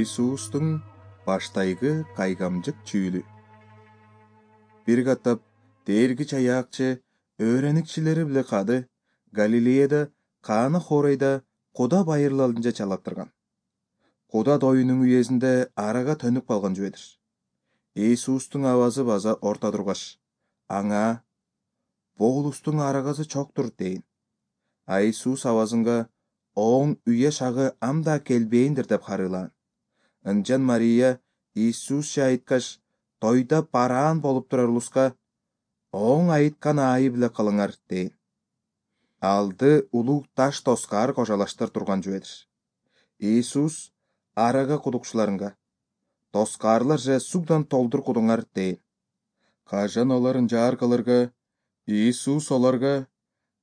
Иисустун баштайгы кайгамжык чүүлү. Бир катап дээрги чаяакчы өөреникчилери биле кады Галилеяда Каана хоройда Куда байырлалынча чалаттырган. Куда тоюнун үйесинде арага төнүп калган жүбедир. Иисустун абазы база орто тургаш, аңа «Бу улустун арагасы чоктур» дейин. А Иисус абазынга «Оң үйе шагы амда келбейиндир» деп харыйлаан. Ынчан Мария Иисус айткаш, тойда бараан болуп турар улуска «Оң айткан аайы биле кылыңар» дейин. Алды улуу таш тоскаар кожалаштыр турган жүбедир. Иисус арага кудукчуларынга «Тоскаарлар же сугдан толтур кудуңар» дейин. Кажан оларын жаар кылырга, Иисус оларга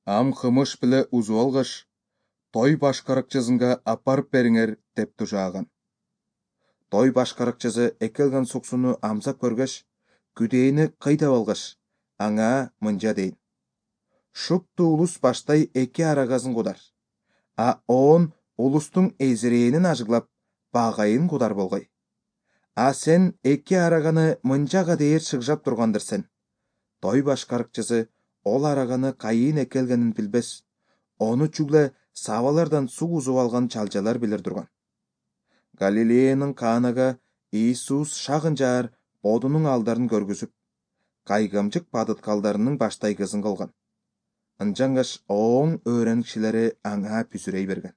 «Ам кымыш биле узуп алгаш, той башкаракчысынга апарып бериңер» деп тужааган. Той башкаракчысы экелген суксуну амсап көргөч, күдээни кыйдап алгаш, аңа мынча дейин: «Шутту улус баштай эки арагасын кудар, а оон улустун эзирээнин ажыглап, багайын кудар болгой. А сен эки араганы мынчага дээр шыгжап тургандырсың». Той башкаракчысы ол араганы кайын экелгенин билбес, ону чүгле сабалардан суу узуп алган чалчалар билер турган. Галилеянын Каанага Иисус шагын жаар бодунун алдарын көргүзүп, кайгамжык бадыткалдарынын баштайгысын кылган. Ынчангаш Оң өөреникчилери аңа бүзүрөй берген.